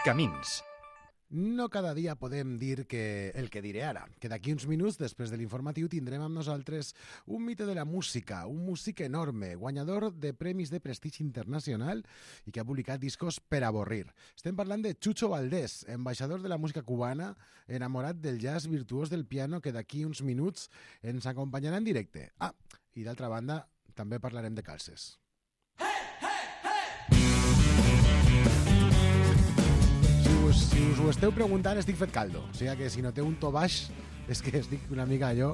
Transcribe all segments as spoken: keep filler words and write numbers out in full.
Camins. No cada dia podem dir que el que diré ara, que d'aquí uns minuts, després de l'informatiu, tindrem amb nosaltres un mite de la música, un músic enorme, guanyador de premis de prestigi internacional i que ha publicat discos per avorrir. Estem parlant de Chucho Valdés, ambaixador de la música cubana, enamorat del jazz, virtuós del piano, que d'aquí uns minuts ens acompanyarà en directe. Ah, i d'altra banda, també parlarem de calces. Si us ho esteu preguntant, estic fet caldo. O sigui que si no té un to baix, és que estic una mica allò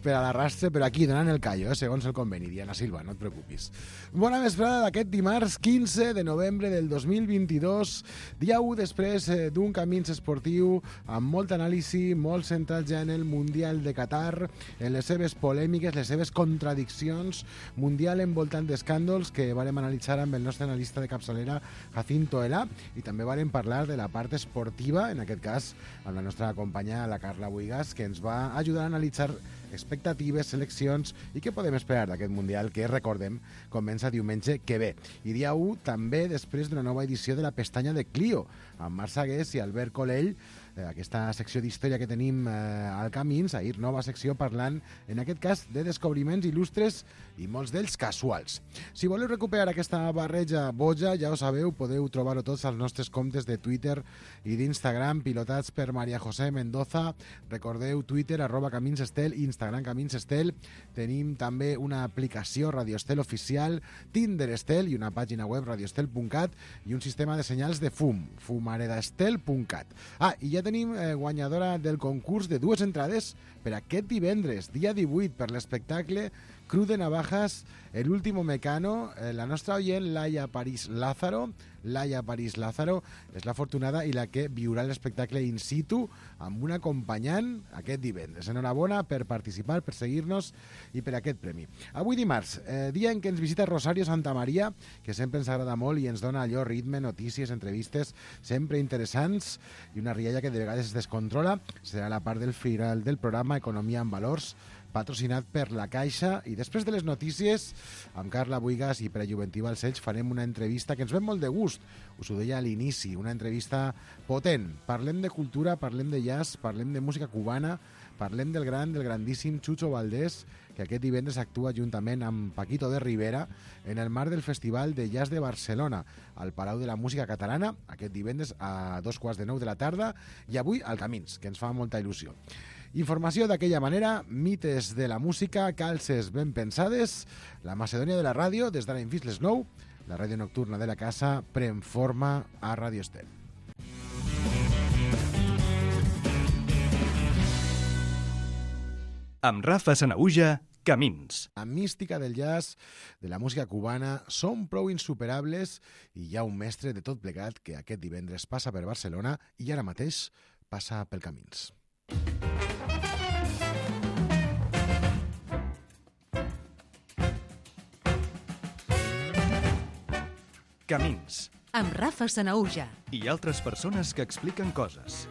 per a l'arrastre, però aquí donant el callo, eh, segons el conveni. Diana Silva, no et preocupis. Bona vesprada d'aquest dimarts quinze de novembre del dos mil vint-i-dos, dia u després eh, d'un Camins esportiu amb molt anàlisi, molt centrat ja en el Mundial de Qatar, en les seves polèmiques, les seves contradiccions, Mundial envoltant d'escàndols que varem analitzar amb el nostre analista de capçalera, Jacinto Elà, i també varem parlar de la part esportiva, en aquest cas amb la nostra companya, la Carla Buigas, que ens va ajudar a analitzar expectatives, seleccions i què podem esperar d'aquest Mundial que, recordem, comença diumenge que ve. I dia u també després d'una nova edició de la pestanya de Clio, amb Marc Sagués i Albert Colell, eh, aquesta secció d'història que tenim eh, al Camins, ahir nova secció parlant, en aquest cas, de descobriments il·lustres i molts d'ells casuals. Si voleu recuperar aquesta barreja boja, ja ho sabeu, podeu trobar-ho tots als nostres comptes de Twitter i d'Instagram, pilotats per Maria José Mendoza. Recordeu Twitter, arroba Camins Estel, Instagram Camins Estel. Tenim també una aplicació Radio Estel oficial, Tinder Estel i una pàgina web radioestel punt cat i un sistema de senyals de fum, fumaredastel punt cat. Ah, i ja tenim eh, guanyadora del concurs de dues entrades per aquest divendres, dia divuit, per l'espectacle Cru de Navajas, El último mecano. Eh, la nostra oient, Laia París Lázaro, Laia París Lázaro, és l'afortunada i la que viurà l'espectacle in situ amb un acompanyant aquest divendres. Enhorabona per participar, per seguir-nos i per aquest premi. Avui dimarts, eh, dia en què ens visita Rosario Santamaría, que sempre ens agrada molt i ens dona allò ritme, notícies, entrevistes, sempre interessants, i una rialla que de vegades es descontrola. Serà la part del final del programa Economia en Valors, patrocinat per la Caixa, i després de les notícies, amb Carla Buigas i per a Juventiva als Ells farem una entrevista que ens ve molt de gust, us ho deia a l'inici, una entrevista potent. Parlem de cultura, parlem de jazz, parlem de música cubana, parlem del gran, del grandíssim Chucho Valdés, que aquest divendres actua juntament amb Paquito de Rivera en el marc del Festival de Jazz de Barcelona, al Palau de la Música Catalana, aquest divendres a dos quarts de nou de la tarda, i avui al Camins, que ens fa molta il·lusió. Informació d'aquella manera, mites de la música, calces ben pensades, la Macedònia de la ràdio, des d'ara fins les nou, la ràdio nocturna de la casa pren forma a Radio Estel. Amb Rafa Sanahuja, Camins. La mística del jazz, de la música cubana, són prou insuperables i hi ha un mestre de tot plegat que aquest divendres passa per Barcelona i ara mateix passa pel Camins. Camins. Amb Rafa Sanahuja. I altres persones que expliquen coses.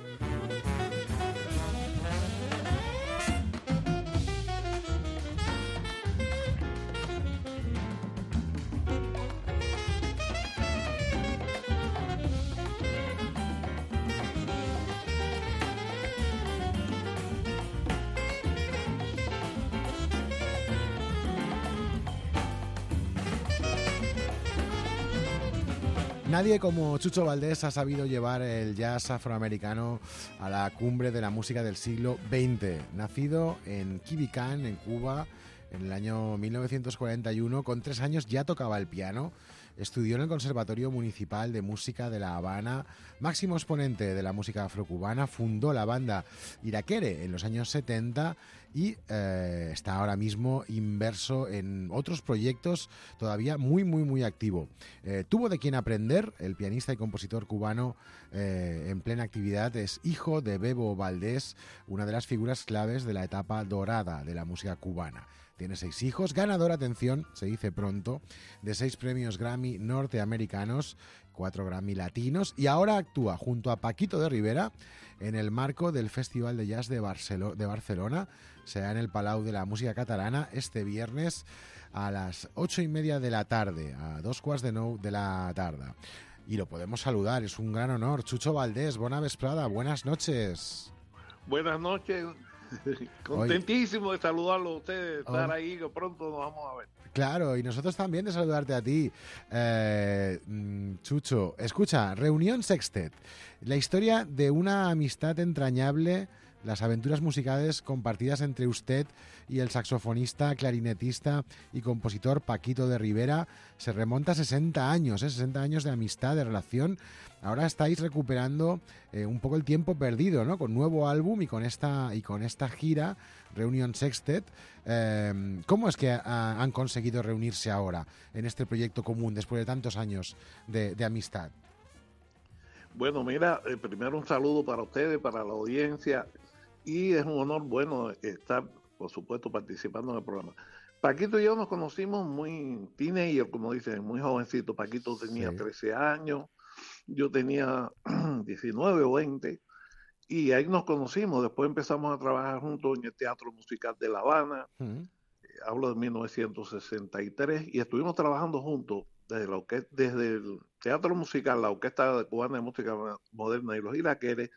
Nadie como Chucho Valdés ha sabido llevar el jazz afroamericano a la cumbre de la música del siglo veinte. Nacido en Quibicán, en Cuba, en el año mil novecientos cuarenta y uno, con tres años ya tocaba el piano. Estudió en el Conservatorio Municipal de Música de La Habana, máximo exponente de la música afrocubana, fundó la banda Iraquere en los años setenta y eh, está ahora mismo inmerso en otros proyectos, todavía muy, muy, muy activo. Eh, tuvo de quien aprender, el pianista y compositor cubano eh, en plena actividad, es hijo de Bebo Valdés, una de las figuras claves de la etapa dorada de la música cubana. Tiene seis hijos, ganador, atención, se dice pronto, de seis premios Grammy norteamericanos, cuatro Grammy latinos, y ahora actúa junto a Paquito de Rivera en el marco del Festival de Jazz de, Barcelo- de Barcelona. Será en el Palau de la Música Catalana este viernes a las ocho y media de la tarde, a dos quarts de nou de la tarda. y lo podemos saludar. Es un gran honor. Chucho Valdés, bona vesprada, buenas noches. Buenas noches. Contentísimo Hoy, de saludarlo a ustedes, de estar hoy, ahí, que pronto nos vamos a ver. Claro, y nosotros también de saludarte a ti, eh, Chucho. Escucha, Reunión Sextet, la historia de una amistad entrañable, las aventuras musicales compartidas entre usted y el saxofonista, clarinetista y compositor Paquito de Rivera, se remonta a sesenta años, ¿eh? sesenta años de amistad, de relación. Ahora estáis recuperando eh, un poco el tiempo perdido, ¿no? Con nuevo álbum y con esta y con esta gira, Reunión Sextet. Eh, ¿Cómo es que a, han conseguido reunirse ahora en este proyecto común después de tantos años de, de amistad? Bueno, mira, eh, primero un saludo para ustedes, para la audiencia, y es un honor, bueno, estar, por supuesto, participando en el programa. Paquito y yo nos conocimos muy teenager, como dicen, muy jovencito. Paquito tenía sí. trece años, yo tenía diecinueve o veinte, y ahí nos conocimos. Después empezamos a trabajar juntos en el Teatro Musical de La Habana, uh-huh. eh, hablo de mil novecientos sesenta y tres, y estuvimos trabajando juntos desde, la orquesta, desde el Teatro Musical, la Orquesta Cubana de Música Moderna y los Iraqueres.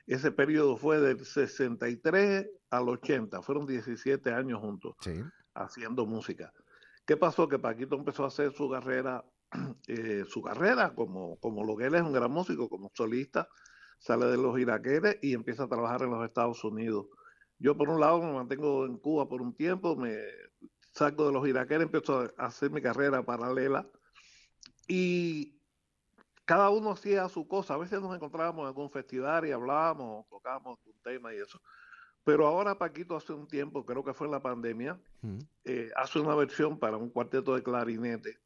Ese periodo fue del sesenta y tres al ochenta, fueron diecisiete años juntos sí. haciendo música. ¿Qué pasó? Que Paquito empezó a hacer su carrera, eh, su carrera como, como lo que él es un gran músico, como solista, sale de los Iraqueres y empieza a trabajar en los Estados Unidos. Yo por un lado me mantengo en Cuba por un tiempo, me saco de los Iraqueres, empiezo a hacer mi carrera paralela y cada uno hacía su cosa. A veces nos encontrábamos en algún festival y hablábamos, tocábamos un tema y eso. Pero ahora Paquito hace un tiempo, creo que fue en la pandemia, mm. eh, hace una versión para un cuarteto de clarinete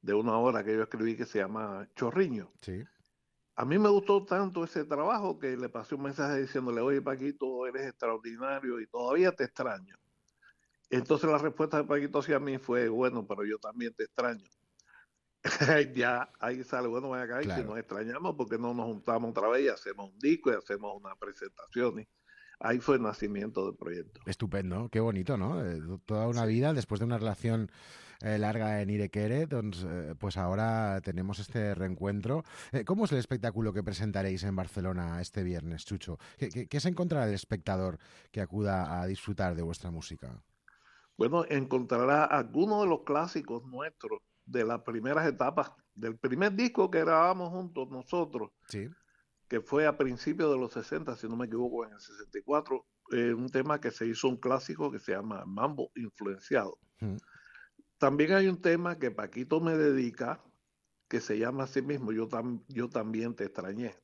de una hora que yo escribí que se llama Chorriño. Sí. A mí me gustó tanto ese trabajo que le pasé un mensaje diciéndole, oye Paquito, eres extraordinario y todavía te extraño. Entonces la respuesta de Paquito hacia mí fue, bueno, pero yo también te extraño. Ya ahí sale, bueno, vaya acá, claro. Y si nos extrañamos, porque no nos juntamos otra vez y hacemos un disco y hacemos una presentación. Y ahí fue el nacimiento del proyecto. Estupendo, qué bonito, ¿no? Eh, toda una sí. vida después de una relación eh, larga en Irequere, doncs, eh, pues ahora tenemos este reencuentro. Eh, ¿Cómo es el espectáculo que presentaréis en Barcelona este viernes, Chucho? ¿Qué, qué, qué se encontrará el espectador que acuda a disfrutar de vuestra música? Bueno, encontrará algunos de los clásicos nuestros de las primeras etapas, del primer disco que grabamos juntos nosotros, sí. que fue a principios de los sesenta, si no me equivoco, en el sesenta y cuatro, eh, un tema que se hizo un clásico que se llama Mambo Influenciado. Mm. También hay un tema que Paquito me dedica, que se llama así mismo, Yo, tam, yo también te extrañé.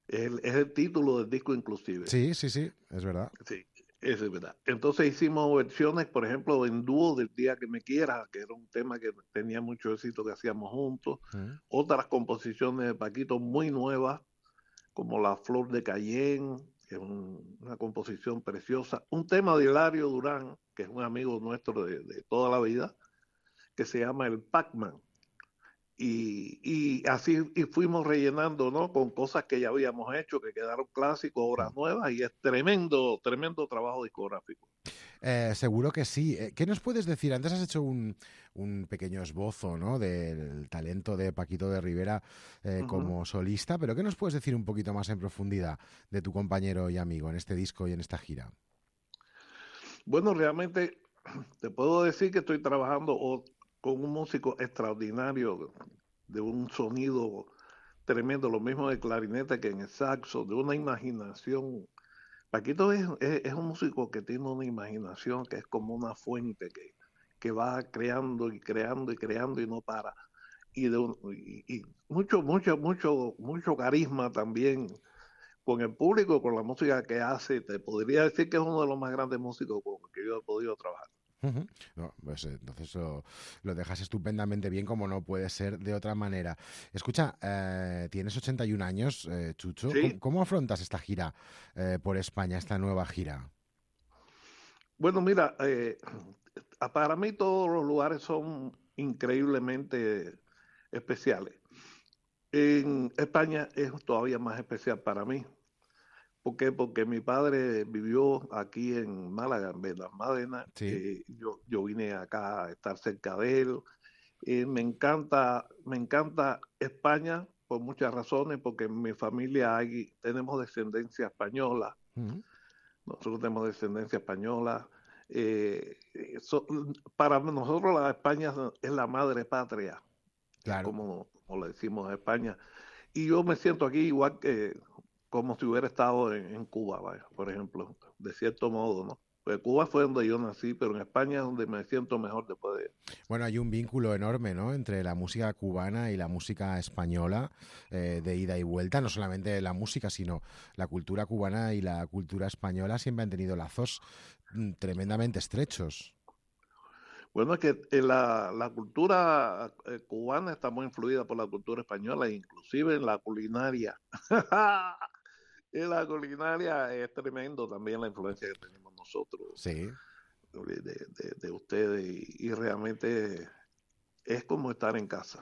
Es el, es el título del disco inclusive. Sí, sí, sí, es verdad. Sí. Eso es verdad. Entonces hicimos versiones, por ejemplo, en dúo del Día que me quieras, que era un tema que tenía mucho éxito que hacíamos juntos. Mm. Otras composiciones de Paquito muy nuevas, como La Flor de Cayenne, que es un, una composición preciosa. Un tema de Hilario Durán, que es un amigo nuestro de, de toda la vida, que se llama El Pac-Man. Y, y así y fuimos rellenando, ¿no? Con cosas que ya habíamos hecho, que quedaron clásicos, obras nuevas, y es tremendo, tremendo trabajo discográfico. Eh, seguro que sí. ¿Qué nos puedes decir? Antes has hecho un, un pequeño esbozo, ¿no?, del talento de Paquito de Rivera eh, uh-huh. como solista, pero ¿qué nos puedes decir un poquito más en profundidad de tu compañero y amigo en este disco y en esta gira? Bueno, realmente te puedo decir que estoy trabajando o con un músico extraordinario, de un sonido tremendo, lo mismo de clarinete que en el saxo, de una imaginación. Paquito es, es, es un músico que tiene una imaginación que es como una fuente que, que va creando y creando y creando y no para. Y, de un, y, y mucho, mucho, mucho, mucho carisma también con el público, con la música que hace. Te podría decir que es uno de los más grandes músicos con los que yo he podido trabajar. Uh-huh. No, pues entonces lo, lo dejas estupendamente bien, como no puede ser de otra manera. Escucha, eh, tienes ochenta y un años, eh, Chucho. ¿Sí? ¿Cómo, ¿Cómo afrontas esta gira eh, por España, esta nueva gira? Bueno, mira, eh, para mí todos los lugares son increíblemente especiales. En España es todavía más especial para mí. ¿Por qué? Porque mi padre vivió aquí en Málaga, en Benalmádena. Sí. Eh, yo, yo vine acá a estar cerca de él. Eh, me encanta, me encanta España por muchas razones, porque en mi familia hay, tenemos descendencia española, uh-huh. nosotros tenemos descendencia española. Eh, so, para nosotros la España es la madre patria, claro. como, como le decimos a España. Y yo me siento aquí igual que como si hubiera estado en, en Cuba, vaya, por ejemplo, de cierto modo, ¿no? Pues Cuba fue donde yo nací, pero en España es donde me siento mejor después de... Bueno, hay un vínculo enorme, ¿no?, entre la música cubana y la música española, eh, de ida y vuelta. No solamente la música, sino la cultura cubana y la cultura española siempre han tenido lazos mm, tremendamente estrechos. Bueno, es que la, la cultura cubana está muy influida por la cultura española, inclusive en la culinaria. En la culinaria es tremendo también la influencia que tenemos nosotros, sí. de, de, de ustedes, y, y realmente es como estar en casa.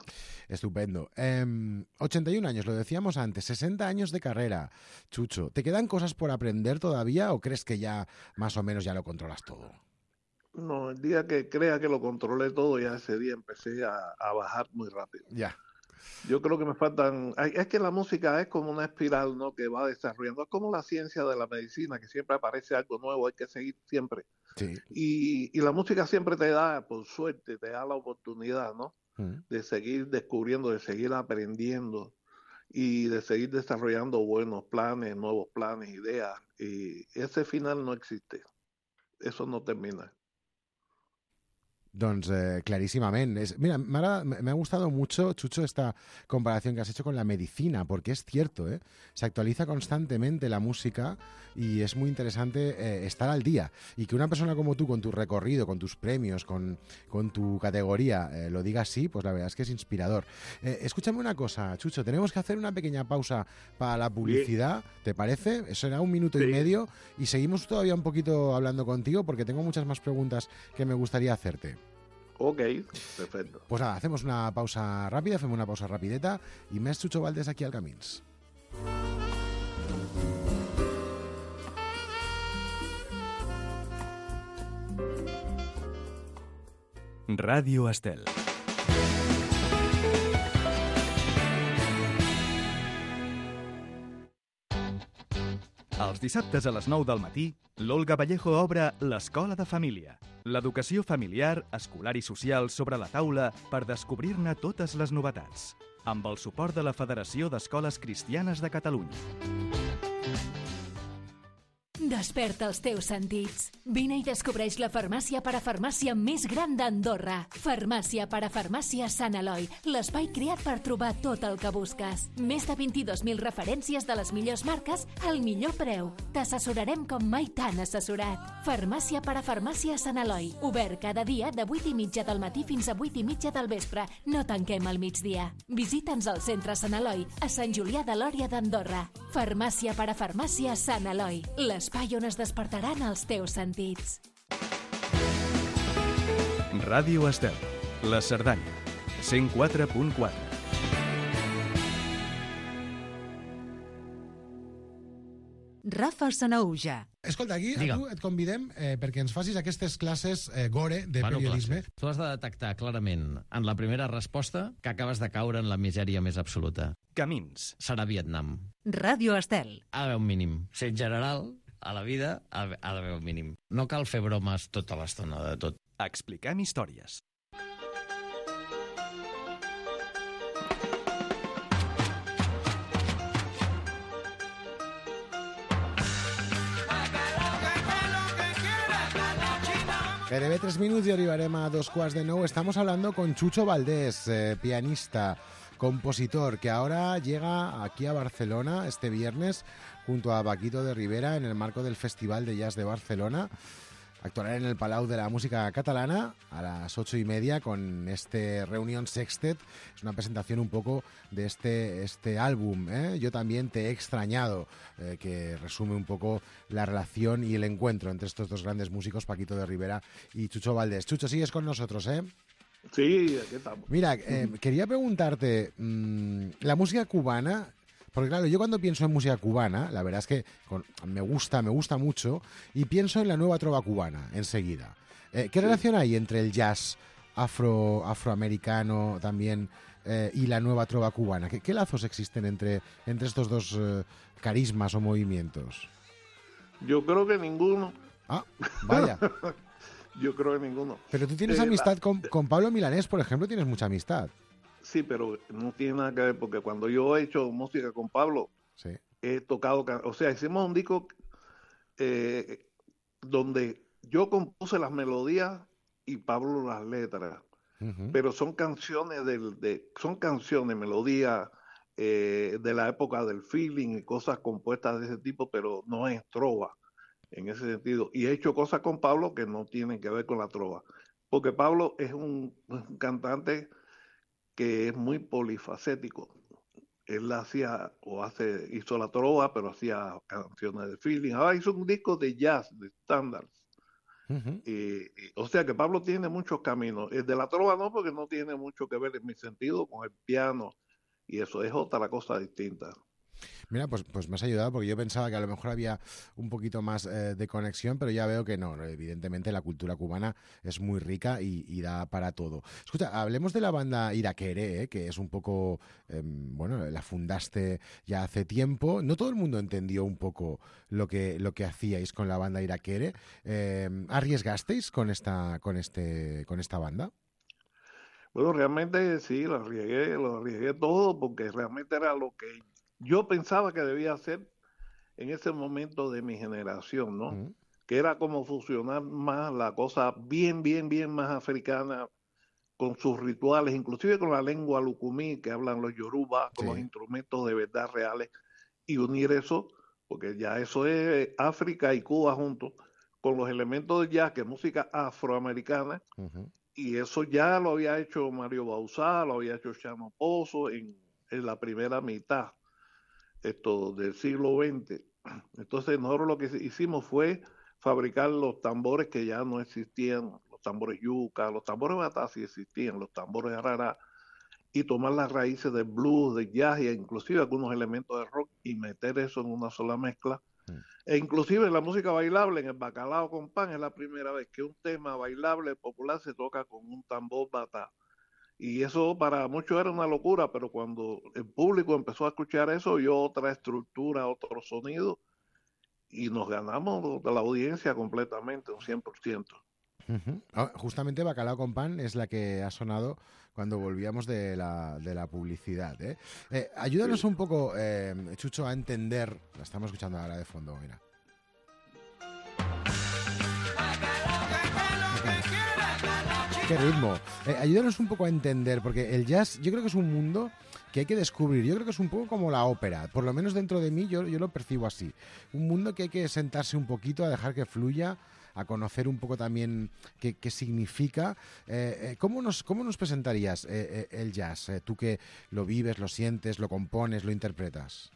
Estupendo. Eh, ochenta y un años, lo decíamos antes, sesenta años de carrera, Chucho. ¿Te quedan cosas por aprender todavía o crees que ya más o menos ya lo controlas todo? No, el día que crea que lo controlé todo, ya ese día empecé a, a bajar muy rápido. Ya. Yo creo que me faltan... Es que la música es como una espiral, ¿no?, que va desarrollando. Es como la ciencia de la medicina, que siempre aparece algo nuevo, hay que seguir siempre. Sí. Y, y la música siempre te da, por suerte, te da la oportunidad, ¿no?, mm. de seguir descubriendo, de seguir aprendiendo y de seguir desarrollando buenos planes, nuevos planes, ideas. Y ese final no existe. Eso no termina. Doncs eh, clarísimamente. Es, mira, me ha, me ha gustado mucho, Chucho, esta comparación que has hecho con la medicina, porque es cierto, ¿eh? Se actualiza constantemente la música y es muy interesante eh, estar al día. Y que una persona como tú, con tu recorrido, con tus premios, con, con tu categoría, eh, lo diga así, pues la verdad es que es inspirador. Eh, escúchame una cosa, Chucho, tenemos que hacer una pequeña pausa para la publicidad, sí. ¿Te parece? Eso será un minuto sí. y medio y seguimos todavía un poquito hablando contigo porque tengo muchas más preguntas que me gustaría hacerte. Ok, perfecto. Pues nada, hacemos una pausa rápida, hacemos una pausa rapideta y més Chucho Valdés aquí al Camins. Ràdio Estel. Els dissabtes a les nou del matí, l'Olga Vallejo obre l'Escola de Família. L'educació familiar, escolar i social sobre la taula per descobrir-ne totes les novetats. Amb el suport de la Federació d'Escoles Cristianes de Catalunya. Desperta els teus sentits. Vine i descobreix la farmàcia parafarmàcia més gran d'Andorra. Farmàcia parafarmàcia Sant Eloi, l'espai creat per trobar tot el que busques. Més de vint-i-dos mil referències de les millors marques al millor preu. T'assessorarem com mai t'han assessorat. Farmàcia parafarmàcia Sant Eloi, obert cada dia de vuit i mitja del matí fins a vuit i mitja del vespre. No tanquem al migdia. Visita'ns al centre Sant Eloi, a Sant Julià de Lòria d'Andorra. Farmàcia parafarmàcia Sant Eloi, l'espai on es despertaran els teus sentits. Ràdio Estel, la Cerdanya, cent quatre punt quatre. Rafa Sanahuja. Escolta, aquí a tu et convidem eh, perquè ens facis aquestes classes eh, gore de bueno, periodisme. Classes. Tu has de detectar clarament en la primera resposta que acabes de caure en la misèria més absoluta. Camins. Serà Vietnam. Ràdio Estel. Ha d'haver un mínim. Ser general, a la vida, ha d'haver un mínim. No cal fer bromes tota l'estona de tot. Expliquem històries. Gairebé tres minuts y arribarem a dos quarts de nou. Estamos hablando con Chucho Valdés, eh, pianista, compositor, que ahora llega aquí a Barcelona este viernes junto a Paquito de Rivera en el marco del Festival de Jazz de Barcelona. Actuará en el Palau de la Música Catalana a las ocho y media con este Reunión Sextet. Es una presentación un poco de este, este álbum, ¿eh? Yo también te he extrañado, eh, que resume un poco la relación y el encuentro entre estos dos grandes músicos, Paquito de Rivera y Chucho Valdés. Chucho, sigues con nosotros, ¿eh? Sí, aquí estamos. Mira, eh, quería preguntarte, mmm, la música cubana... Porque claro, yo cuando pienso en música cubana, la verdad es que con, me gusta, me gusta mucho, y pienso en la nueva trova cubana enseguida. Eh, ¿Qué sí. relación hay entre el jazz afro, afroamericano también eh, y la nueva trova cubana? ¿Qué, qué lazos existen entre, entre estos dos eh, carismas o movimientos? Yo creo que ninguno. Ah, vaya. Yo creo que ninguno. Pero tú tienes Eh, amistad la- con, con Pablo Milanés, por ejemplo, tienes mucha amistad. Sí, pero no tiene nada que ver, porque cuando yo he hecho música con Pablo, Sí. he tocado, ca- o sea, hicimos un disco eh, donde yo compuse las melodías y Pablo las letras, Ujú. pero son canciones del, de, son canciones, melodías eh, de la época del feeling y cosas compuestas de ese tipo, pero no es trova en ese sentido. Y he hecho cosas con Pablo que no tienen que ver con la trova, porque Pablo es un, un cantante que es muy polifacético. Él hacía o hace, hizo la trova, pero hacía canciones de feeling. Ahora hizo un disco de jazz, de standards. Ujú. Y, y, o sea que Pablo tiene muchos caminos. El de la trova no, porque no tiene mucho que ver en mi sentido con el piano. Y eso es otra cosa distinta. Mira, pues, pues me has ayudado porque yo pensaba que a lo mejor había un poquito más eh, de conexión, pero ya veo que no, no, evidentemente la cultura cubana es muy rica y, y da para todo. Escucha, hablemos de la banda Iraquere, eh, que es un poco, eh, bueno, la fundaste ya hace tiempo. No todo el mundo entendió un poco lo que, lo que hacíais con la banda Iraquere. Eh, ¿Arriesgasteis con esta, con este, con esta banda? Bueno, realmente sí, lo arriesgué, lo arriesgué todo porque realmente era lo que yo pensaba que debía hacer en ese momento de mi generación, ¿no? Mm. Que era como fusionar más la cosa bien, bien, bien más africana con sus rituales, inclusive con la lengua lucumí que hablan los yorubas, con los Sí. instrumentos de verdad reales, y unir eso, porque ya eso es África y Cuba juntos, con los elementos de jazz, que es música afroamericana, Ujú. y eso ya lo había hecho Mario Bauzá, lo había hecho Chano Pozo en, en la primera mitad esto, del siglo veinte. Entonces nosotros lo que hicimos fue fabricar los tambores que ya no existían, los tambores yuca, los tambores batá sí existían, los tambores arara, y tomar las raíces del blues, del jazz e inclusive algunos elementos de rock y meter eso en una sola mezcla. Mm. E inclusive en la música bailable, en el bacalao con pan, es la primera vez que un tema bailable popular se toca con un tambor batá. Y eso para muchos era una locura, pero cuando el público empezó a escuchar eso, vio otra estructura, otro sonido, y nos ganamos de la audiencia completamente, un cien por ciento. Ujú. Ah, justamente Bacalao con pan es la que ha sonado cuando volvíamos de la, de la publicidad. ¿eh? Eh, ayúdanos Sí. un poco, eh, Chucho, a entender. La estamos escuchando ahora de fondo, mira. Qué ritmo. Eh, ayúdanos un poco a entender, porque el jazz yo creo que es un mundo que hay que descubrir. Yo creo que es un poco como la ópera. Por lo menos dentro de mí yo, yo lo percibo así. Un mundo que hay que sentarse un poquito, a dejar que fluya, a conocer un poco también qué, qué significa. Eh, eh, ¿cómo, nos, ¿Cómo nos presentarías eh, eh, el jazz? Eh, tú que lo vives, lo sientes, lo compones, lo interpretas.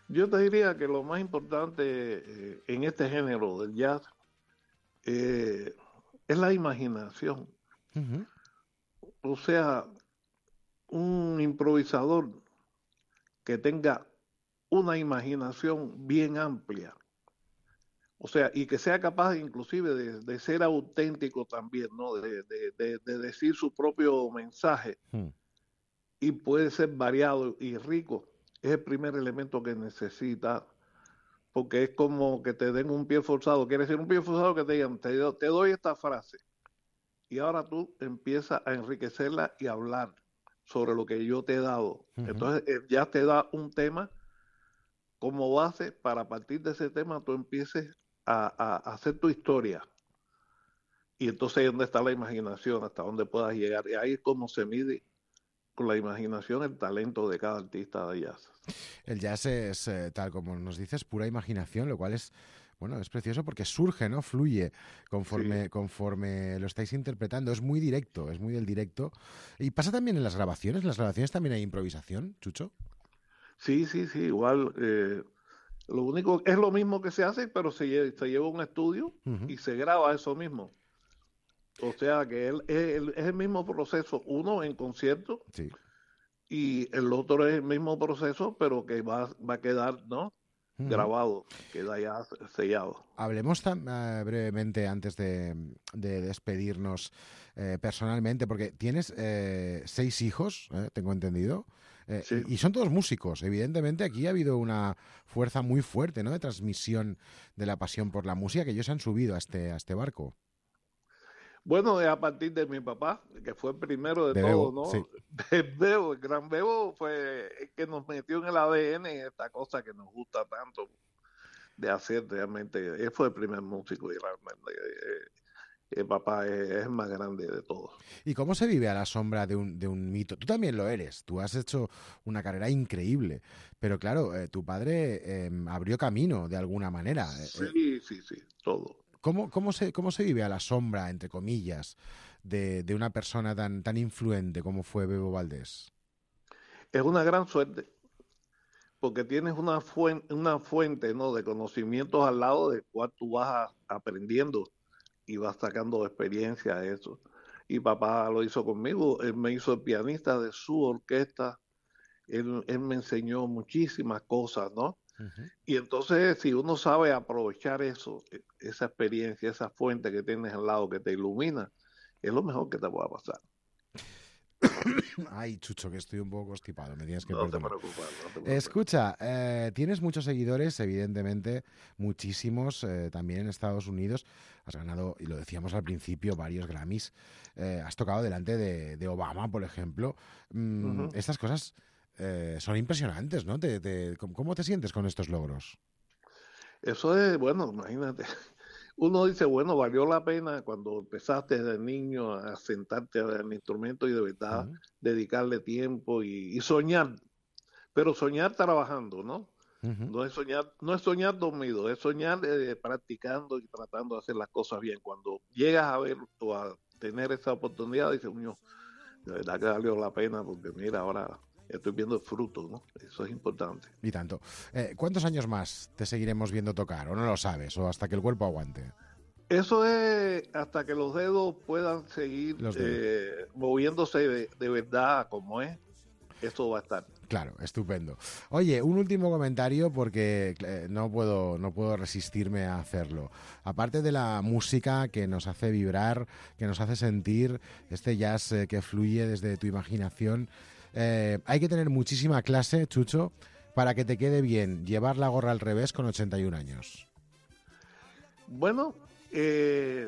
Yo te diría que lo más importante eh, en este género del jazz eh, es la imaginación. Uh-huh. O sea, un improvisador que tenga una imaginación bien amplia. O sea, y que sea capaz inclusive de, de ser auténtico también, ¿no? De, de, de, de decir su propio mensaje. Uh-huh. Y puede ser variado y rico. Es el primer elemento que necesita, porque es como que te den un pie forzado. Quiere decir un pie forzado que te digan, te, do, te doy esta frase. Y ahora tú empiezas a enriquecerla y a hablar sobre lo que yo te he dado. Uh-huh. Entonces ya te da un tema como base para a partir de ese tema tú empieces a, a, a hacer tu historia. Y entonces ¿dónde está la imaginación? Hasta dónde puedas llegar. Y ahí es como se mide con la imaginación el talento de cada artista de jazz. El jazz es, eh, tal como nos dices, pura imaginación, lo cual es, bueno, es precioso porque surge, ¿no? Fluye conforme, sí. conforme lo estáis interpretando. Es muy directo, es muy del directo. ¿Y pasa también en las grabaciones? ¿En las grabaciones también hay improvisación, Chucho? Sí, sí, sí, igual. Eh, lo único, es lo mismo que se hace, pero se lleva, se lleva a un estudio uh-huh. y se graba eso mismo. O sea que él, es, es el mismo proceso, uno en concierto sí. y el otro es el mismo proceso, pero que va, va a quedar, ¿no? mm. grabado, queda ya sellado. Hablemos tan, uh, brevemente antes de, de despedirnos eh, personalmente, porque tienes eh, seis hijos, eh, tengo entendido. Eh, sí. y, y son todos músicos. Evidentemente aquí ha habido una fuerza muy fuerte, ¿no?, de transmisión de la pasión por la música, que ellos han subido a este, a este barco. Bueno, es a partir de mi papá, que fue el primero de, de todo, Bebo, ¿no? Sí. El Bebo, el gran Bebo fue el que nos metió en el A D N esta cosa que nos gusta tanto de hacer realmente. Él fue el primer músico y realmente eh, el papá es, es el más grande de todos. ¿Y cómo se vive a la sombra de un, de un mito? Tú también lo eres, tú has hecho una carrera increíble, pero claro, eh, tu padre eh, abrió camino de alguna manera. Sí, eh, sí, sí, todo. ¿Cómo, cómo, se, ¿Cómo se vive a la sombra, entre comillas, de, de una persona tan, tan influente como fue Bebo Valdés? Es una gran suerte, porque tienes una fuente, una fuente, ¿no?, de conocimientos al lado del cual tú vas a, aprendiendo y vas sacando experiencia de eso. Y papá lo hizo conmigo, él me hizo el pianista de su orquesta, él, él me enseñó muchísimas cosas, ¿no? Uh-huh. Y entonces, si uno sabe aprovechar eso, esa experiencia, esa fuente que tienes al lado que te ilumina, es lo mejor que te pueda pasar. Ay, Chucho, que estoy un poco constipado, me tienes que no perdonar. Te preocupes, no te preocupes. Escucha, eh, tienes muchos seguidores, evidentemente, muchísimos, eh, también en Estados Unidos. Has ganado, y lo decíamos al principio, varios Grammys. Eh, has tocado delante de, de Obama, por ejemplo. Mm, uh-huh. Estas cosas eh, son impresionantes, ¿no? Te, te, ¿Cómo te sientes con estos logros? Eso es, bueno, imagínate. Uno dice, bueno, valió la pena cuando empezaste desde niño a sentarte al instrumento y de verdad uh-huh. dedicarle tiempo y, y soñar, pero soñar trabajando, ¿no? Uh-huh. No es soñar, no es soñar dormido, es soñar eh, practicando y tratando de hacer las cosas bien. Cuando llegas a ver o a tener esa oportunidad, dices, uño, de verdad que valió la pena porque mira, ahora estoy viendo el fruto, ¿no? Eso es importante. Y tanto. Eh, ¿Cuántos años más te seguiremos viendo tocar? ¿O no lo sabes? ¿O hasta que el cuerpo aguante? Eso es hasta que los dedos puedan seguir dedos. Eh, moviéndose de, de verdad como es. Eso va a estar. Claro, estupendo. Oye, un último comentario porque eh, no puedo, no puedo resistirme a hacerlo. Aparte de la música que nos hace vibrar, que nos hace sentir, este jazz eh, que fluye desde tu imaginación, Eh, hay que tener muchísima clase, Chucho, para que te quede bien llevar la gorra al revés con ochenta y un años. Bueno, eh,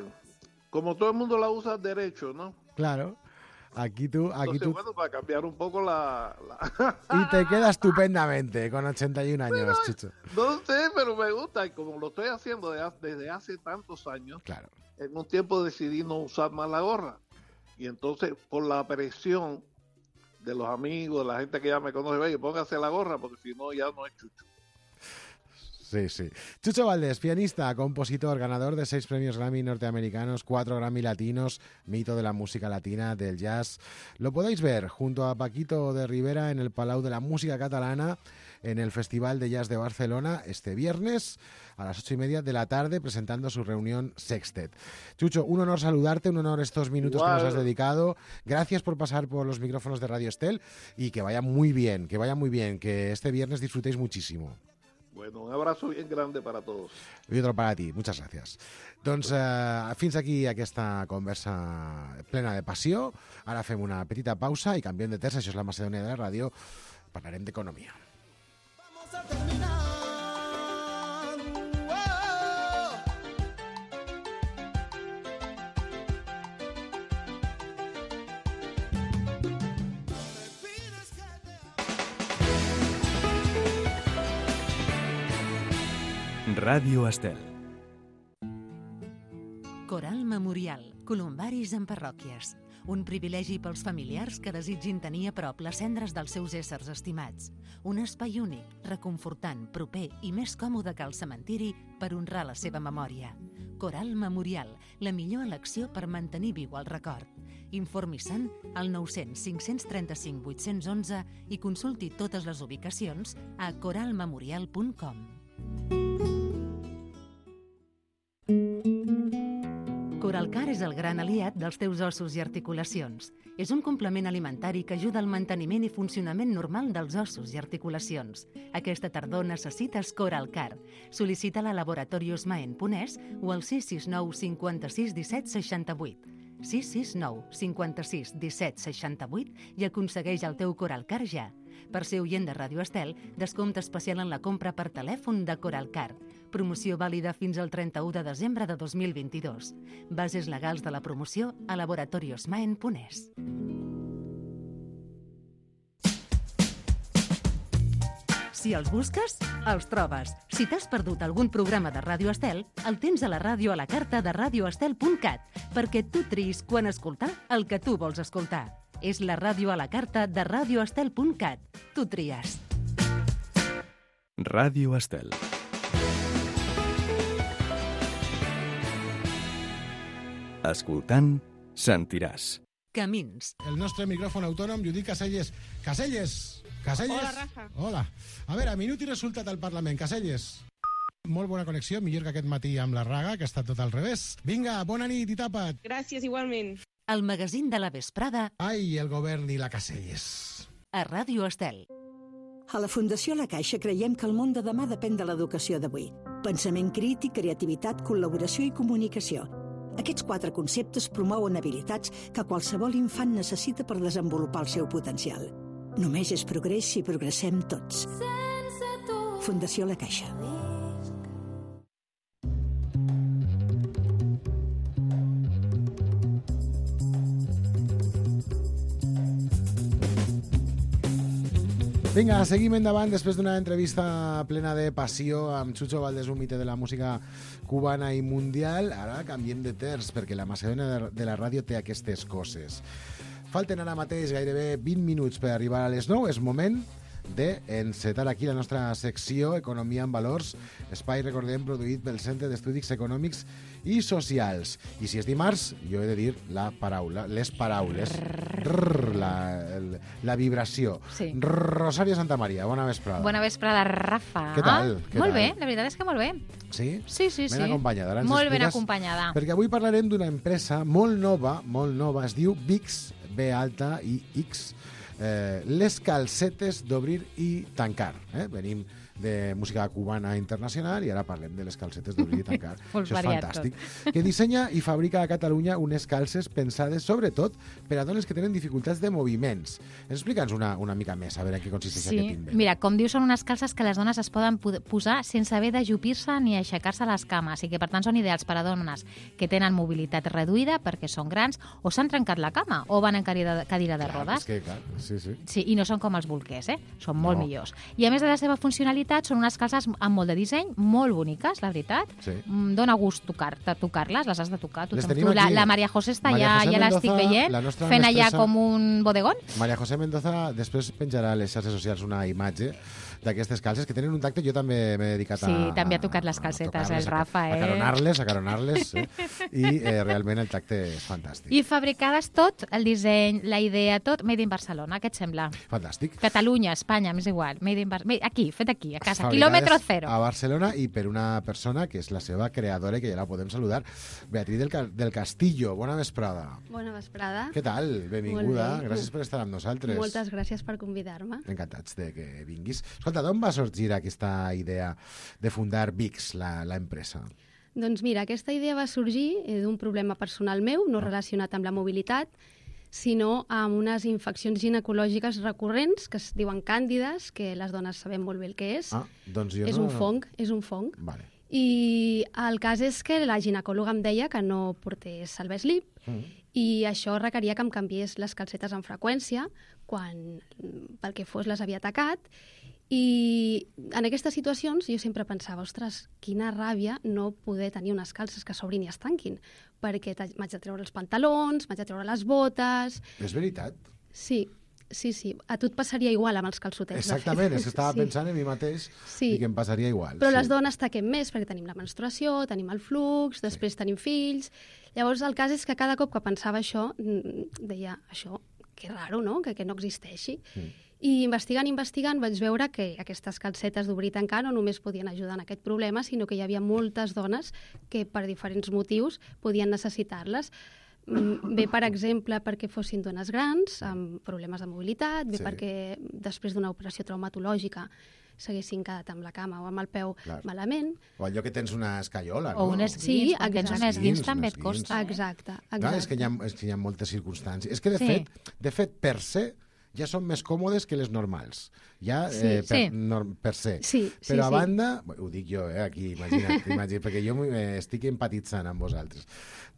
como todo el mundo la usa derecho, ¿no? Claro. Aquí tú... Aquí Entonces, tú... bueno, para cambiar un poco la... la... Y te queda estupendamente con ochenta y un años, pero, Chucho. No sé, pero me gusta. Y como lo estoy haciendo desde hace tantos años, claro. En un tiempo decidí no usar más la gorra. Y entonces, por la presión de los amigos, de la gente que ya me conoce, oye, póngase la gorra, porque si no, ya no es Chucho. Sí, sí. Chucho Valdés, pianista, compositor, ganador de seis premios Grammy norteamericanos, cuatro Grammy latinos, mito de la música latina, del jazz. Lo podéis ver junto a Paquito de Rivera en el Palau de la Música Catalana, en el Festival de Jazz de Barcelona, este viernes a las ocho y media de la tarde, presentando su reunión Sextet. Chucho, un honor saludarte, un honor estos minutos Igual. que nos has dedicado. Gracias por pasar por los micrófonos de Radio Estel y que vaya muy bien, que vaya muy bien, que este viernes disfrutéis muchísimo. Bueno, un abrazo bien grande para todos. I otro para ti, muchas gràcies. Doncs eh, fins aquí aquesta conversa plena de passió. Ara fem una petita pausa i canviem de terç, això és la Macedònia de la ràdio, parlarem d'economia. Vamos a terminar. Ràdio Estel. Coral Memorial, columbaris en parròquies. Un privilegi pels familiars que desitgin tenir a prop les cendres dels seus éssers estimats. Un espai únic, reconfortant, proper i més còmode que el cementiri per honrar la seva memòria. Coral Memorial, la millor elecció per mantenir viu el record. Informi-se'n al nou cents cinc-cents trenta-cinc vuit-cents onze i consulti totes les ubicacions a coral memorial punt com. Coral Coralcar és el gran aliat dels teus ossos i articulacions. És un complement alimentari que ajuda al manteniment i funcionament normal dels ossos i articulacions. Aquesta tardor necessites Coralcar. Sol·licita-la a Laboratorios Maen Ponès o al sis sis nou cinquanta-sis disset seixanta-vuit. sis sis nou cinquanta-sis disset seixanta-vuit i aconsegueix el teu Coralcar ja. Per ser oient de Ràdio Estel, descompte especial en la compra per telèfon de Coralcar. Promoció vàlida fins al trenta-u de desembre de dos mil vint-i-dos. Bases legals de la promoció a Laboratorios Maen Ponès. Si els busques, els trobes. Si t'has perdut algun programa de Ràdio Estel, el tens a la ràdio a la carta de radio estel punt cat, perquè tu triïs quan escoltar el que tu vols escoltar. És la ràdio a la carta de radio estel punt cat. Tu tries. Ràdio Estel. Escoltant, sentiràs. Camins. El nostre micròfon autònom, Judit Caselles. Caselles! Caselles! Hola, Rafa. Hola. A veure, minut i resultat al Parlament. Caselles. Molt bona connexió, millor que aquest matí amb la Raga, que ha estat tot al revés. Vinga, bona nit i tapa't. Gràcies, igualment. El magazín de la vesprada Ai, el govern i la Caselles. a Ràdio Estel. A la Fundació La Caixa creiem que el món de demà depèn de l'educació d'avui. Pensament crític, creativitat, col·laboració i comunicació. Aquests quatre conceptes promouen habilitats que qualsevol infant necessita per desenvolupar el seu potencial. Només és progrés si progressem tots. Fundació La Caixa. Vinga, seguim endavant després d'una entrevista plena de passió amb Chucho Valdés, un mite de la música cubana i mundial. Ara canviem de terç, perquè la macedònia de la ràdio té aquestes coses. Falten ara mateix gairebé vint minuts per arribar a les nou. És moment d'encetar aquí la nostra secció Economia en Valors, espai, recordem, produït pel Centre d'Estudis Econòmics i Socials. I si és dimarts, jo he de dir la paraula, les paraules, rrr, la, el- la vibració. Sí. Rosario Santamaría, bona vesprada. Bona vesprada, Rafa. Què tal? Què molt tal? bé, la veritat és que molt bé. Sí? Sí, sí, sí. Ben acompanyada. Ara ens Molt ben expliques- acompanyada. Perquè avui parlarem d'una empresa molt nova, molt nova, es diu V I X, B alta i X, eh, les calcetes d'obrir i tancar. Eh? Venim de música cubana internacional i ara parlem de les calcetes d'obrir i tancar. Molt Això és variat fantàstic. Que dissenya i fabrica a Catalunya unes calces pensades sobretot per a dones que tenen dificultats de moviments. Explica'ns una, una mica més, a veure en què consisteix Sí, aquest invent. mira, com diu, són unes calces que les dones es poden pu- posar sense haver d'ajupir-se ni aixecar-se a les cames i que, per tant, són ideals per a dones que tenen mobilitat reduïda perquè són grans o s'han trencat la cama o van en cadira, cadira de Clar, rodes. és que, clar, sí, sí. Sí, i no són com els bolquers, eh? Són molt No. millors. I a més de la seva funcionalitat, són unes calces amb molt de disseny, molt boniques, la veritat. Sí. Mm, Dóna gust tocar, de tocar-les, les has de tocar. Tu, Les tu, tenim la, aquí. la Maria José està Maria allà, José ja l'estic Mendoza, veient, la nostra fent allà mestressa. com un bodegón. Maria José Mendoza després penjarà a les xarxes socials una imatge d'aquestes calces que tenen un tacte. Jo també m'he dedicat a... Sí, també ha tocat les a calcetes, tocar-les, el a- Rafa, eh? A caronar-les, a caronar-les, eh? I eh, realment el tacte és fantàstic. I fabricades tot, el disseny, la idea, tot, made in Barcelona, què et sembla? Fantàstic. Catalunya, Espanya, m'és igual, made in Barcelona, aquí, fet aquí, a casa, Fabricades quilòmetre zero. A Barcelona i per una persona que és la seva creadora i que ja la podem saludar, Beatriz del, Ca- del Castillo. Bona vesprada. Bona vesprada. Què tal? Benvinguda. Molt bé. Gràcies per estar amb nosaltres. Moltes gràcies per convidar-me. Encantats de que vinguis. Escolta, d'on va sorgir aquesta idea de fundar V I X, la, la empresa? Doncs mira, aquesta idea va sorgir eh, d'un problema personal meu, no relacionat amb la mobilitat, sinó amb unes infeccions ginecològiques recurrents que es diuen càndides, que les dones sabem molt bé el que és. Ah, doncs jo és no... un fong, és un fong. Vale. I el cas és que la ginecòloga em deia que no portés el slip Mm. i això requeria que em canviés les calcetes amb freqüència quan pel que fos les havia atacat. I en aquestes situacions jo sempre pensava, ostres, quina ràbia no poder tenir unes calces que s'obrin i es tanquin, perquè t'ha- m'haig de treure els pantalons, m'haig de treure les botes... És veritat. Sí, sí, sí. A tu et passaria igual amb els calçotets. de fet. Exactament, és que estava Sí. pensant en mi mateix Sí. i que em passaria igual. Però sí. les dones taquem més perquè tenim la menstruació, tenim el flux, després tenim fills... Llavors el cas és que cada cop que pensava això, mm, deia, això que raro, no?, que, que no existeixi. Mm. I investigant, investigant, vaig veure que aquestes calcetes d'obrir i tancar no només podien ajudar en aquest problema, sinó que hi havia moltes dones que per diferents motius podien necessitar-les. Bé, per exemple, perquè fossin dones grans, amb problemes de mobilitat, bé Sí. perquè després d'una operació traumatològica s'haguessin quedat amb la cama o amb el peu Clar. malament. O allò que tens una escaiola, O no? un esguins, Sí, quan tens un exacte. esguins també et Esguins, costa. Eh? Exacte, exacte. Clar, és que, hi ha, és que hi ha moltes circumstàncies. És que, de, Sí. fet, de fet, per se, ja són més còmodes que les normals. Ja, Sí. eh, per, Sí. nor, per se. Sí, sí, Però a sí. banda, bé, ho dic jo, eh, aquí, imagina't, imagina't perquè jo eh, estic empatitzant amb vosaltres.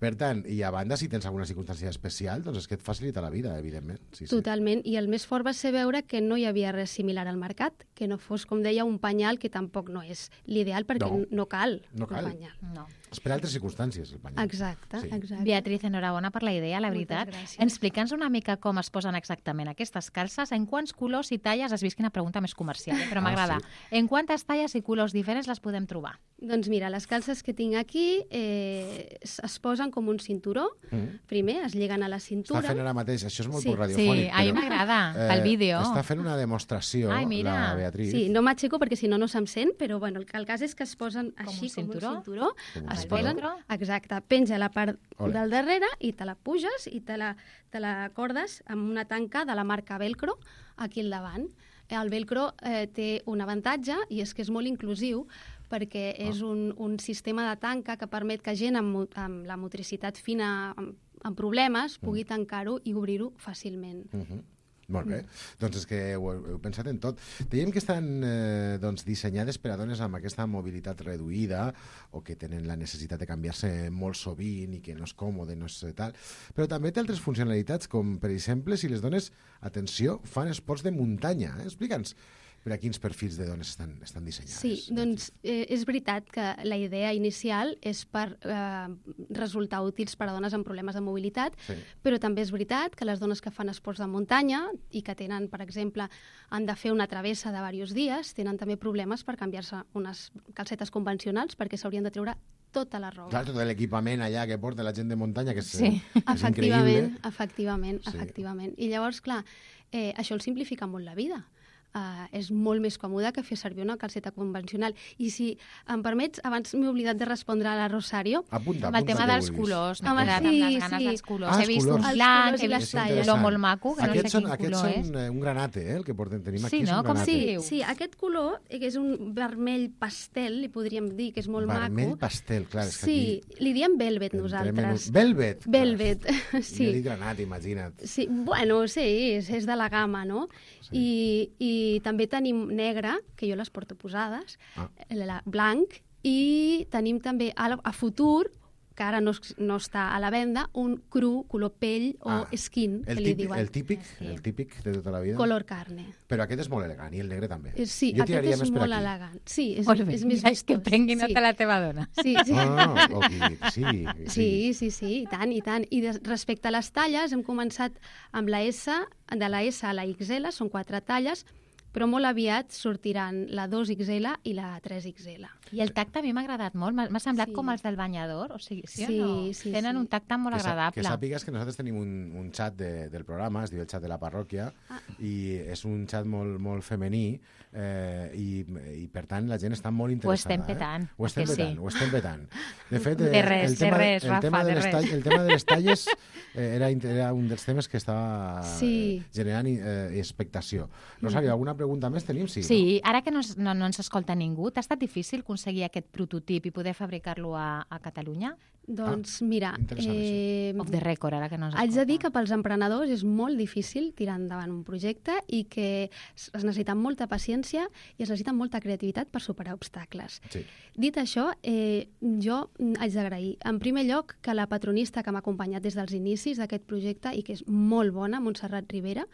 Per tant, i a banda, si tens alguna circumstància especial, doncs és que et facilita la vida, evidentment. Sí, sí. Totalment, i el més fort va ser veure que no hi havia res similar al mercat, que no fos, com deia, un penyal que tampoc no és l'ideal perquè No. no, no cal No cal. un penyal. No. És per altres circumstàncies, el penyal. Exacte, Sí. exacte. Beatriz, enhorabona per la idea, la Moltes veritat. gràcies. Explica'ns una mica com es posen exactament aquestes calces, en quants colors i talles, has vist quina pregunta més comercial, eh? Però Ah, m'agrada. sí. En quantes talles i colors diferents les podem trobar? Doncs mira, les calces que tinc aquí eh, es, es posen com un cinturó. Mm. Primer es lliguen a la Està cintura. fent ara mateix, això és molt Sí. poc radiofònic. Sí, a mi però, m'agrada, eh, pel vídeo. Està fent una demostració, Ai, mira. la Beatriz. Sí, no m'aixeco perquè si no no se'm sent, però bueno, el, el cas és que es posen Com així, un cinturó? com un cinturó. Com un Es cinturó. posen, exacte, penja a la part Ole. del darrere i te la puges i te la, te la cordes amb una tanca de la marca Velcro aquí al davant. El velcro eh, té un avantatge i és que és molt inclusiu perquè és un, un sistema de tanca que permet que gent amb, mo- amb la motricitat fina, amb, amb problemes, pugui tancar-ho i obrir-ho fàcilment. Uh -huh. Molt bé. Doncs és que ho heu, heu pensat en tot. Dèiem que estan eh, doncs, dissenyades per a dones amb aquesta mobilitat reduïda o que tenen la necessitat de canviar-se molt sovint i que no és còmode, no és tal. Però també té altres funcionalitats, com per exemple si les dones, atenció, fan esports de muntanya. Eh? Explica'ns per a quins perfils de dones estan, estan dissenyades. Sí, doncs eh, és veritat que la idea inicial és per eh, resultar útils per a dones amb problemes de mobilitat, Sí. però també és veritat que les dones que fan esports de muntanya i que tenen, per exemple, han de fer una travessa de diversos dies, tenen també problemes per canviar-se unes calcetes convencionals perquè s'haurien de treure tota la roba. Clar, tot l'equipament allà que porta la gent de muntanya, que és, Sí. eh, és Efectivament, increïble. efectivament, Sí. efectivament. I llavors, clar, eh, això els simplifica molt la vida. Uh, és molt més còmode que fer servir una calceta convencional. I si em permets, abans m'he oblidat de respondre a la Rosario. Apunta, Amb el apunta tema que dels vulguis. colors, m'he Home, quedat sí, amb les ganes sí. dels colors. Ah, he els vist colors. un Els blanc, colors he i les vist talles. lo molt maco, que no Aquests sé són, quin aquests color són és. eh, un granate, eh, el que portem, tenim aquí. Sí, és no? un Com granate. si- Sí, diu? sí, aquest color, eh, que és un vermell pastel, li podríem dir, que és molt Vermell maco. pastel, clar, és que Sí, aquí... li diem velvet entrem en nosaltres. un- Velvet. clar. Velvet, sí. Jo dic granat, imagina't. Sí, bueno, sí, és, és de la gamma, no? Sí. I, I també tenim negre, que jo les porto posades, Ah. la, blanc, i tenim també a, a futur, que ara no, es- no està a la venda, un cru, color pell o Ah, skin, El que li típic, diuen. el típic, Sí. el típic de tota la vida. Color carne. Però aquest és molt elegant, i el negre també. Eh, Sí, Jo aquest tiraria és més per molt aquí. elegant. Sí, és, Molt bé, és més ja és que vistós. prengui nota sí. la teva dona. Sí, sí. Ah, ok, sí, Sí, sí, sí, i tant, i tant. I de, respecte a les talles, hem començat amb la S, de la S a la X L, són quatre talles, però molt aviat sortiran la dos X L i la tres X L. I el tacte a mi m'ha agradat molt, m'ha m'ha semblat Sí. com els del banyador, o sigui, sí, Sí, o no? sí, Tenen sí. un tacte molt que, sa- agradable. que sàpigues que nosaltres tenim un, un xat de, del programa, es diu el xat de la parròquia, Ah. i és un xat molt, molt femení, eh, i, i per tant la gent està molt Ho interessada. estem petant, Eh? Ho estem que sí. petant, ho estem petant. De fet, De eh, res, el de tema, res, el Rafa, tema de les res. tall- el tema de les talles eh, era, int- era un dels temes que estava Sí. eh, generant eh, expectació. Rosario, alguna pregunta més tenim? Sí, Sí, ara que no, es- no, no ens escolta ningú, t'ha estat difícil aconseguir aquest prototip i poder fabricar-lo a, a Catalunya? Doncs mira, interessant, eh, Off the record, ara que no ens haig de dir que escolta. pels emprenedors és molt difícil tirar endavant un projecte i que es es necessita molta paciència i es necessita molta creativitat per superar obstacles. Sí. Dit això, eh, jo mm, haig d'agrair, en primer lloc, que la patronista que m'ha acompanyat des dels inicis d'aquest projecte i que és molt bona, Montserrat Rivera,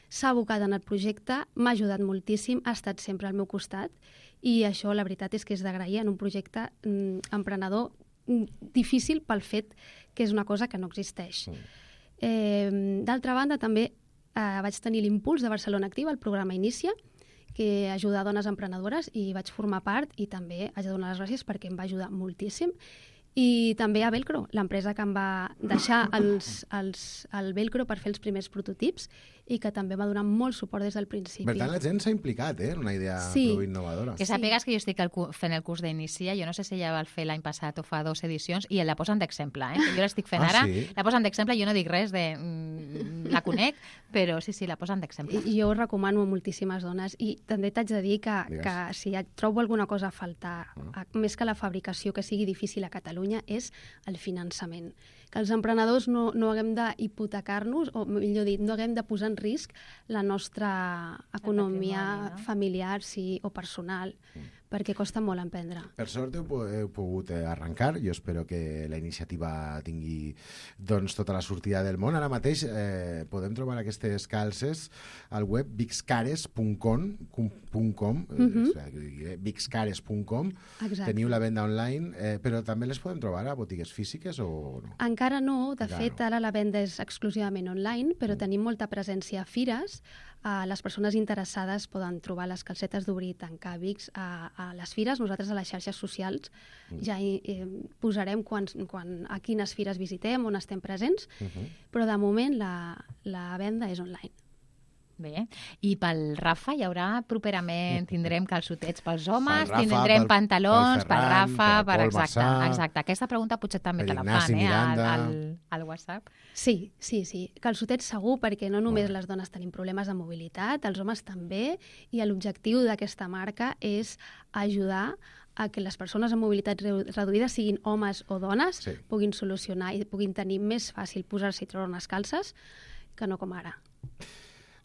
s'ha abocat en el projecte, m'ha ajudat moltíssim, ha estat sempre al meu costat i això, la veritat, és que és d'agrair en un projecte mm, emprenedor mm, difícil pel fet que és una cosa que no existeix. Mm. Eh, D'altra banda, també eh, vaig tenir l'impuls de Barcelona Activa, el programa Inicia, que ajuda dones emprenedores i vaig formar part i també haig de donar les gràcies perquè em va ajudar moltíssim. I també a Velcro, l'empresa que em va deixar els, els, el Velcro per fer els primers prototips i que també va donar molt suport des del principi. Per tant, la gent s'ha implicat, eh? En una idea Sí. prou innovadora. Que sàpigues que jo estic el cu- fent el curs d'Inicia, jo no sé si ja va fer l'any passat o fa dues edicions, i la posen d'exemple, eh? Jo l'estic fent Ah, ara, sí? la posen d'exemple, jo no dic res de... Mm, la conec, però sí, sí, la posen d'exemple. I jo ho recomano a moltíssimes dones i també t'haig de dir que, Digues. que si et trobo alguna cosa a faltar, a, més que la fabricació que sigui difícil a Catalunya, és el finançament. Que els emprenedors no, no haguem d'hipotecar-nos, o millor dit, no haguem de posar en risc la nostra economia patrimoni, no? familiar sí, o personal, perquè costa molt emprendre. Per sort heu, po- heu pogut eh, arrencar. Jo espero que la iniciativa tingui doncs, tota la sortida del món. Ara mateix eh, podem trobar aquestes calces al web bixcares punt com, com, Mhm. eh, bixcares punt com. Exacte. Teniu la venda online, eh, però també les podem trobar a botigues físiques o no? Encara no, de Encara fet, no. ara la venda és exclusivament online, però tenim molta presència a fires. Uh, les persones interessades poden trobar les calcetes d'obrir i tancar Vicks a, a les fires. Nosaltres a les xarxes socials ja hi, eh, posarem quan, quan, a quines fires visitem, on estem presents, Uh -huh. però de moment la, la venda és online. Bé, i pel Rafa hi haurà properament, tindrem calçotets pels homes, Pel Rafa, tindrem pel- pantalons, pel per Ferran, Rafa, pel per Pol exacte, Massà, exacte. Aquesta pregunta potser també per te la Ignasi fan, eh, al, Miranda. al, al WhatsApp. Sí, sí, sí. Calçotets segur, perquè no només Molt bé. les dones tenim problemes de mobilitat, els homes també, i l'objectiu d'aquesta marca és ajudar a que les persones amb mobilitat reu- reduïda, siguin homes o dones, Sí. puguin solucionar i puguin tenir més fàcil posar-se i treure unes calces que no com ara.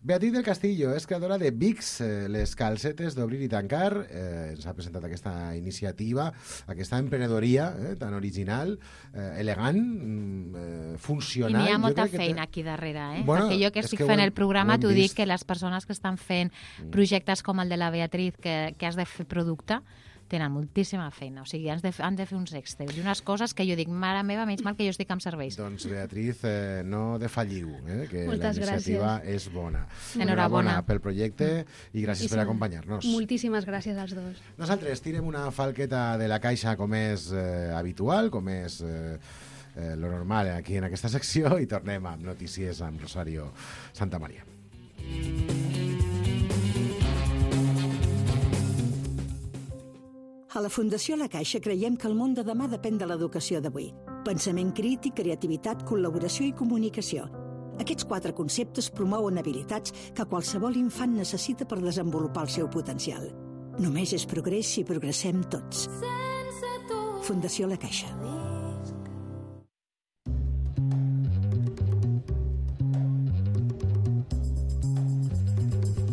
Beatriz del Castillo és creadora de Vicks, eh, les calcetes d'obrir i tancar. Eh, ens ha presentat aquesta iniciativa, aquesta emprenedoria eh, tan original, eh, elegant, mm, eh, I funcional. n'hi ha Jo molta crec que té- feina aquí darrere, eh? Bueno, Perquè jo que és estic que ho fent hem- el programa ho hem t'ho dic vist. que les persones que estan fent projectes com el de la Beatriz, que, que has de fer producte, tenen moltíssima feina. O sigui, han de, han de fer uns Excel i unes coses que jo dic, mare meva, menys mal que jo estic amb serveis. Doncs, Beatriz, eh, no defalliu, eh, que Moltes la iniciativa gràcies. és bona. Enhorabona. pel projecte i gràcies I per sí, acompanyar-nos. Moltíssimes gràcies als dos. Nosaltres tirem una falqueta de la caixa com és eh, habitual, com és eh, eh, lo normal aquí en aquesta secció, i tornem amb notícies amb Rosario Santamaría. A la Fundació La Caixa creiem que el món de demà depèn de l'educació d'avui. Pensament crític, creativitat, col·laboració i comunicació. Aquests quatre conceptes promouen habilitats que qualsevol infant necessita per desenvolupar el seu potencial. Només és progrés si progressem tots. Fundació La Caixa.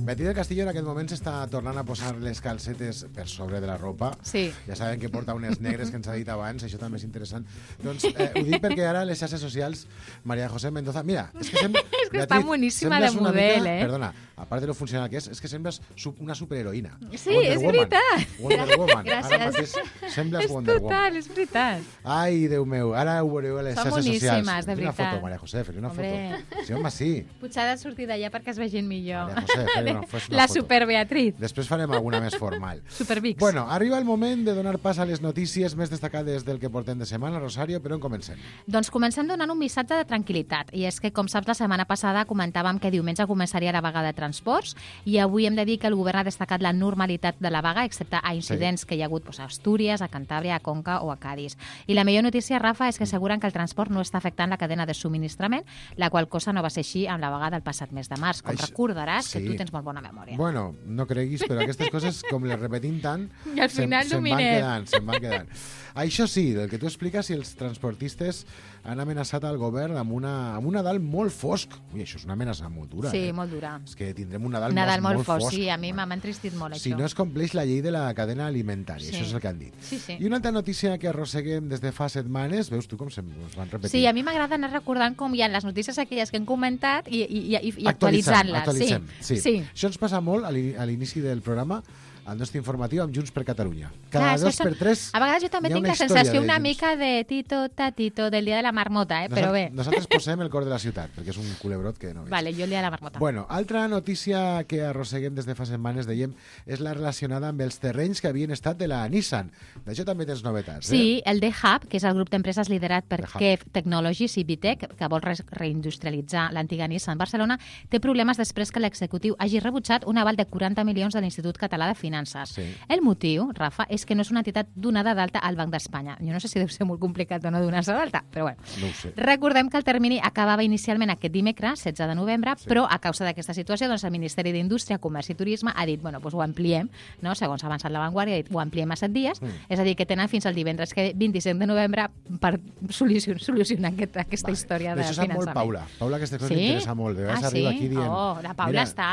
Beatriz del Castillo en aquest moment s'està tornant a posar les calcetes per sobre de la ropa. Sí. Ja saben que porta unes negres que ens ha dit abans, això també és interessant. Doncs eh, ho dic perquè ara les xarxes socials, María José Mendoza... Mira, és que, sem... És que està boníssima de sembles una model, mica, eh? Perdona, a part de lo funcional que és, és que sembles su- una superheroïna. Sí, Wonder és Woman. veritat. Wonder Woman. Gràcies. Ara mateix sembles És Wonder Woman. total, és veritat. Ai, Déu meu, ara ho veureu a les Són xarxes socials. boníssimes, de Fes una veritat. foto, María José, fes una Hombre. foto. Sí, home, sí. Potser ha de sortir d'allà perquè es vegin millor. María José, fes una, fes una La foto. super Beatriz. Després farem alguna més formal. Supervix. Bueno, arriba el moment de donar pas a les notícies més destacades del que portem de setmana. Rosario, per on comencem? Doncs comencem donant un missatge de tranquil·litat. I és que, com saps, la setmana passada comentàvem que diumenge començaria la vaga de transports i avui hem de dir que el govern ha destacat la normalitat de la vaga, excepte a incidents sí. que hi ha hagut doncs, a Astúries, a Cantàbria, a Conca o a Cádiz. I la millor notícia, Rafa, és que asseguren que el transport no està afectant la cadena de subministrament, la qual cosa no va ser així amb la vaga del passat mes de març. Com Això- recordaràs, sí. que tu tens molt bona memòria. Bueno, no creguis, però aquestes coses, com les repetim tant, I al final se'n van dominem. quedant, se'n van quedant. Això sí, del que tu expliques, si els transportistes han amenaçat al govern amb, una, amb un Nadal molt fosc. Ui, això és una amenaça molt dura. Sí, eh? molt dura. És que tindrem un Nadal, Nadal molt, molt fosc, fosc. sí, a mi m'ha entristit molt, Si això. no es compleix la llei de la cadena alimentària, Sí. això és el que han dit. Sí, sí. I una altra notícia que arrosseguem des de fa setmanes, veus tu com se ens van repetir? Sí, a mi m'agrada anar recordant com hi ha les notícies aquelles que hem comentat i, i, i, i Actualitzant, actualitzant-les. actualitzem, sí. sí. Això ens passa molt a l'ini- a l'inici del programa, al nostre informatiu amb Junts per Catalunya. Cada Clar, dos són... per tres A vegades jo també hi ha tinc una la història sensació de una Junts. mica de Tito, Tatito, del dia de la marmota, eh? Però bé. Nosaltres posem el cor de la ciutat, perquè és un culebrot que no veig. Vale, jo el dia de la marmota. Bueno, altra notícia que arrosseguem des de fa setmanes, dèiem, és la relacionada amb els terrenys que havien estat de la Nissan. D'això també tens novetats, eh? Sí, el D-Hub, que és el grup d'empreses liderat per The Hub. Kev Technologies i Vitec, que vol re reindustrialitzar l'antiga Nissan Barcelona, té problemes després que l'executiu hagi rebutjat un aval de quaranta milions de l'Institut Català de Finances. Sí. El motiu, Rafa, és que no és una entitat donada d'alta al Banc d'Espanya. Jo no sé si deu ser molt complicat o no donar-se d'alta, però bueno. No ho sé. Recordem que el termini acabava inicialment aquest dimecres, setze de novembre, sí. Però a causa d'aquesta situació, doncs el Ministeri d'Indústria, Comerç i Turisme ha dit, bueno, doncs ho ampliem, no? Segons ha avançat la Vanguardia, ha dit, ho ampliem a set dies, mm. és a dir, que tenen fins al divendres que vint-i-cinc de novembre per solucionar, solucionar aquest, aquesta vale. història de finançament. D'això sap molt Paula. Paula, aquesta cosa sí? m'interessa molt. De vegades ah, arriba sí? aquí dient... Oh, la Paula mira, està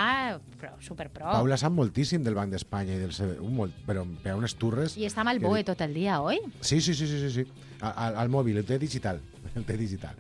però, superpro. Paula sap moltíssim del Banc d'Espanya i del C B U, molt, però per a unes turres... I està amb el B O E tot el dia, oi? Sí, sí, sí, sí, sí, sí. Al, al mòbil, el té digital. El té digital.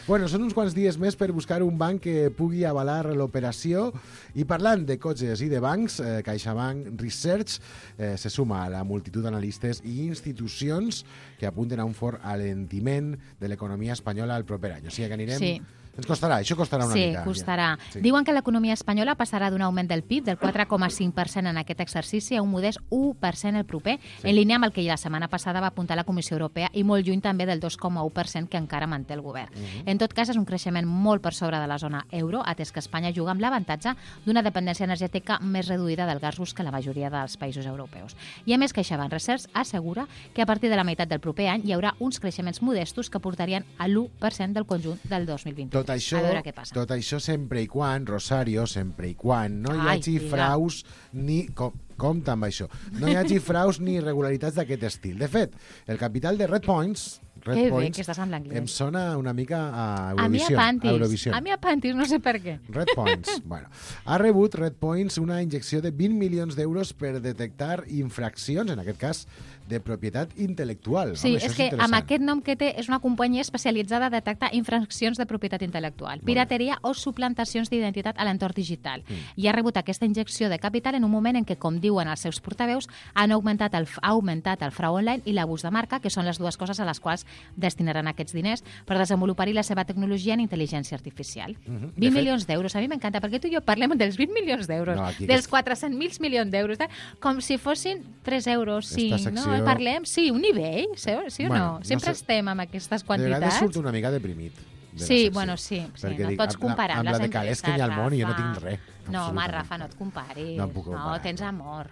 Bueno, són uns quants dies més per buscar un banc que pugui avalar l'operació i parlant de cotxes i de bancs, eh, CaixaBank Research eh, se suma a la multitud d'analistes i institucions que apunten a un fort alentiment de l'economia espanyola al proper any. O sigui que anirem... Sí. Ens costarà, això costarà una sí, mica. Sí, costarà. Sí. Diuen que l'economia espanyola passarà d'un augment del P I B del quatre coma cinc per cent en aquest exercici a un modest u per cent el proper, sí. En línia amb el que la setmana passada va apuntar la Comissió Europea i molt lluny també del dos coma u per cent que encara manté el govern. Uh -huh. En tot cas, és un creixement molt per sobre de la zona euro, atès que Espanya juga amb l'avantatge d'una dependència energètica més reduïda del gas rus que la majoria dels països europeus. I a més, CaixaBank Research assegura que a partir de la meitat del proper any hi haurà uns creixements modestos que portarien a l'u per cent del conjunt del dos mil vint. Tot això, a veure què passa. Tot això sempre i quan, Rosario, sempre i quan no hi Ai, hagi diga. fraus ni... Com, compte amb això. No hi hagi fraus ni irregularitats d'aquest estil. De fet, el capital de Red Points... Red que Points, bé que estàs en l'anglès. em sona una mica a A mi a Eurovisió. Pantis. A, Eurovisió. A mi a Pantis, no sé per què. Red Points. Bueno, ha rebut Red Points una injecció de vint milions d'euros per detectar infraccions, en aquest cas, de propietat intel·lectual. Sí, Home, és, és que interessant. amb aquest nom que té és una companyia especialitzada a detectar infraccions de propietat intel·lectual, pirateria o suplantacions d'identitat a l'entorn digital. Mm. I ha rebut aquesta injecció de capital en un moment en què, com diuen els seus portaveus, han augmentat el, ha augmentat el frau online i l'abús de marca, que són les dues coses a les quals destinaran aquests diners per desenvolupar-hi la seva tecnologia en intel·ligència artificial. Mm -hmm. vint milions d'euros, a mi m'encanta, perquè tu i jo parlem dels vint milions d'euros, no, dels quatre-cents mil milions d'euros, com si fossin tres euros, cinc, secció... no? Parlem, sí, un nivell, sí, sí o bueno, no? Sempre no sé. estem amb aquestes De quantitats. vegades surt una mica deprimit. De sí, bueno, sí, sí no dic, pots comparar amb amb, la, les amb la de calés que hi ha al món i jo no tinc res. No, home, Rafa, no et comparis. No, em puc comparar, no tens amor.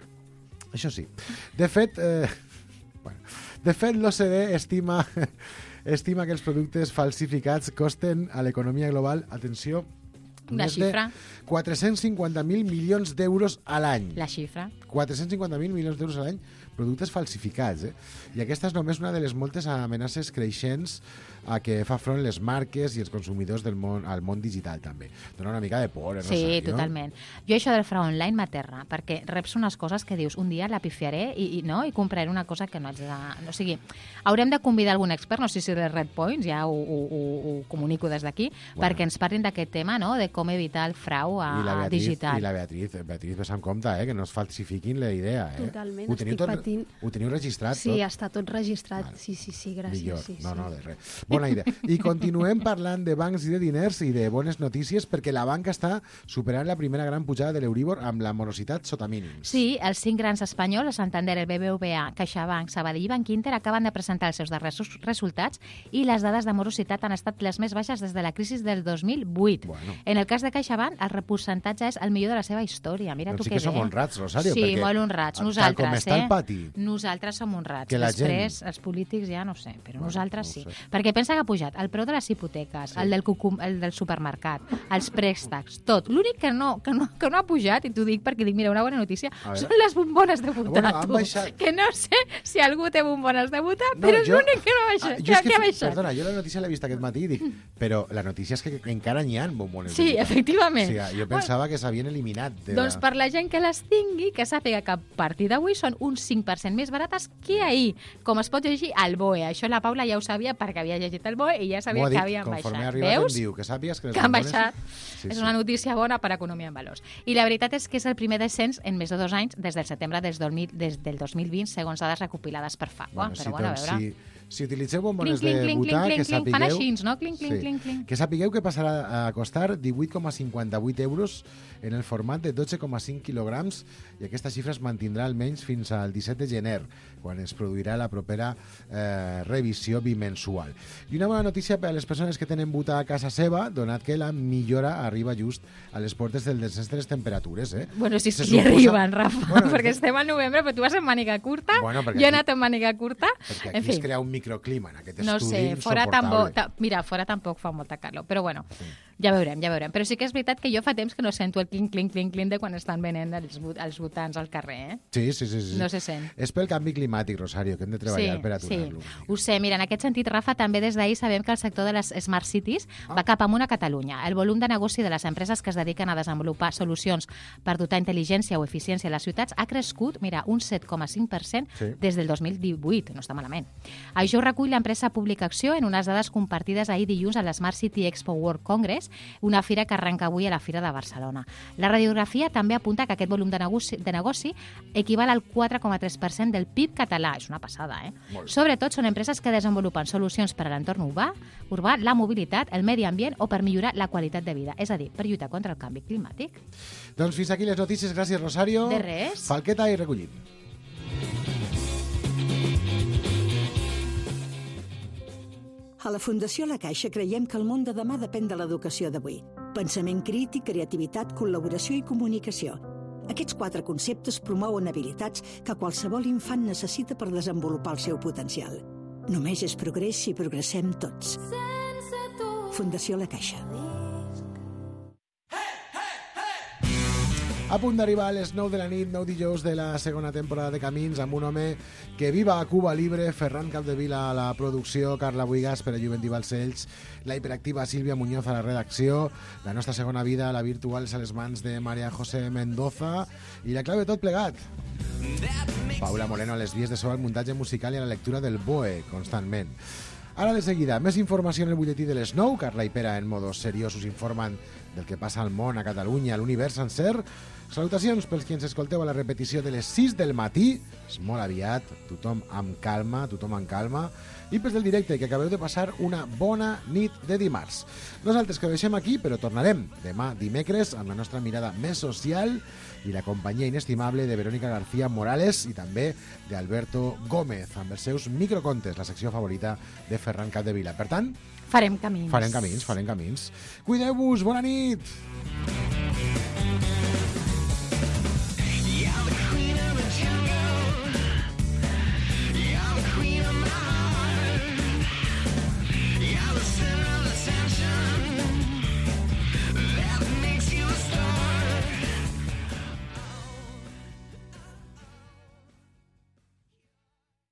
Això sí. De fet, eh, bueno, de fet l'O C D estima, estima que els productes falsificats costen a l'economia global, atenció, una més xifra. de quatre-cents cinquanta mil milions d'euros a l'any. La xifra. quatre-cents cinquanta mil milions d'euros a l'any, productes falsificats. Eh? I aquesta és només una de les moltes amenaces creixents a què fa front les marques i els consumidors del món, al món digital, també. Dona una mica de por, eh, Rosario? Sí, totalment. Jo això del frau online m'aterra, perquè reps unes coses que dius, un dia la pifiaré i, i, no? i compraré una cosa que no haig de... No, o sigui, haurem de convidar algun expert, no sé si de Red Points, ja ho, ho, ho, ho comunico des d'aquí, bueno. perquè ens parlin d'aquest tema, no?, de com evitar el frau a, I la Beatriz, digital. I la Beatriz, Beatriz, ves amb compte, eh, que no es falsifiquin la idea. Eh? Totalment, ho teniu estic tot, patint. Ho teniu registrat sí, tot? Sí, està tot registrat. Vale. Sí, sí, sí, gràcies. Millor. Sí, no, sí. no, de res. Bona idea. I continuem parlant de bancs i de diners i de bones notícies perquè la banca està superant la primera gran pujada de l'Euríbor amb la morositat sota mínims. Sí, els cinc grans espanyols, el Santander, el B B V A, CaixaBank, Sabadell i Bankinter, acaben de presentar els seus darrers resultats i les dades de morositat han estat les més baixes des de la crisi del dos mil vuit. Bueno. En el cas de CaixaBank, el percentatge és el millor de la seva història. Mira doncs tu sí que, que som bé. honrats, Rosario. Sí, perquè, molt honrats. tal Nosaltres, com està eh? el pati. Nosaltres som honrats. Que la Després, gent... els polítics ja no sé, però Bueno, nosaltres no sí. sé. Perquè pensa que ha pujat el preu de les hipoteques, Sí. el, del cucum, el del supermercat, els préstecs, tot. L'únic que no, que, no, que no ha pujat, i t'ho dic perquè dic, mira, una bona notícia, són les bombones de votar, Bueno, han tu. baixat. Que no sé si algú té bombones de votar, No, però és jo- l'únic que no ha baixat. Ah, jo que, és que, que ha baixat. perdona, jo la notícia l'he vista aquest matí i dic, però la notícia és que encara n'hi ha bombones Sí, de efectivament. Sí, jo pensava que s'havien eliminat. De Doncs la... per la gent que les tingui, que sàpiga que a partir d'avui són un cinc per cent més barates que ahir. Com es pot llegir al B O E. Això la Paula ja ho sabia perquè havia llegit el B O E i ja sabia dit, que havien conforme baixat. Arribat, Veus? Em diu, que sàpies que, les que han bombones... baixat. Sí, és sí. una notícia bona per a economia en valors. I la veritat és que és el primer descens en més de dos anys des del setembre des del, des del dos mil vint, segons dades recopilades per F A Q. Bueno, Però si, bueno, a doncs, veure... si, si utilitzeu bombones Clink, de clink, butà, clink, que clink, sapigueu... fan així, no? Clink, clink, sí, clink, clink. Que sapigueu que passarà a costar divuit coma cinquanta-vuit euros en el format de dotze coma cinc quilograms i aquesta xifra es mantindrà almenys fins al disset de gener, quan es produirà la propera eh, revisió bimensual. I una bona notícia per a les persones que tenen butà a casa seva, donat que la millora arriba just a les portes del descens de les temperatures. Eh? Bueno, si Se sí, suposa... arriben, Rafa, Bueno, perquè estem al novembre, però tu vas en màniga curta, Bueno, jo he aquí- anat en màniga curta. Perquè En aquí fi, es crea un microclima en aquest no estudi sé, fora tampoc, insoportable. ta, mira, fora tampoc fa molta calor, però bueno, ja veurem, ja veurem. Però sí que és veritat que jo fa temps que no sento el clink, clink, clink, clink de quan estan venent els, bu- els botans al carrer, eh? Sí, sí, sí, sí. No se sent. És pel canvi climàtic, Rosario, que hem de treballar Sí, per sí, aturar-lo. ho sé. Mira, en aquest sentit, Rafa, també des d'ahir sabem que el sector de les Smart Cities Ah. va cap amunt a Catalunya. El volum de negoci de les empreses que es dediquen a desenvolupar solucions per dotar intel·ligència o eficiència a les ciutats ha crescut, mira, un set coma cinc per cent Sí. des del dos mil divuit. No està malament. Això ho recull l'empresa Public Acció en unes dades compartides ahir dilluns a l'Smart City Expo World Congress, una fira que arrenca avui a la Fira de Barcelona. La radiografia també apunta que aquest volum de negoci, de negoci equival al quatre coma tres per cent del P I B català. És una passada, eh? Molt bé. Sobretot són empreses que desenvolupen solucions per a l'entorn urbà, urbà, la mobilitat, el medi ambient o per millorar la qualitat de vida, és a dir, per lluitar contra el canvi climàtic. Doncs fins aquí les notícies. Gràcies, Rosario. De res. Falqueta i recollim. A la Fundació La Caixa creiem que el món de demà depèn de l'educació d'avui. Pensament crític, creativitat, col·laboració i comunicació. Aquests quatre conceptes promouen habilitats que qualsevol infant necessita per desenvolupar el seu potencial. Només és progrés si progressem tots. Fundació La Caixa. A punt d'arribar a les nou de la nit, nou dijous de la segona temporada de Camins, amb un home que viva a Cuba Libre, Ferran Capdevila a la producció, Carla Buigas per a Juventí Balcells, la hiperactiva Sílvia Muñoz a la redacció, la nostra segona vida, la virtual, és a les mans de María José Mendoza, i la clau de tot plegat, Paula Moreno a les vies de so, al muntatge musical i a la lectura del B O E, constantment. Ara de seguida, més informació en el butlletí de les nou. Carla i Pere, en modos seriosos, informen del que passa al món, a Catalunya, a l'univers sencer. Salutacions pels qui ens escolteu a la repetició de les sis del matí. És molt aviat, tothom amb calma, tothom amb calma. I pels del directe, que acabeu de passar una bona nit de dimarts. Nosaltres que ho deixem aquí, però tornarem demà dimecres amb la nostra mirada més social i la companyia inestimable de Verónica García Morales i també d'Alberto Gómez, amb els seus microcontes, la secció favorita de Ferran Capdevila. Per tant, Farem camins. farem camins, farem camins. Cuideu-vos, bona nit!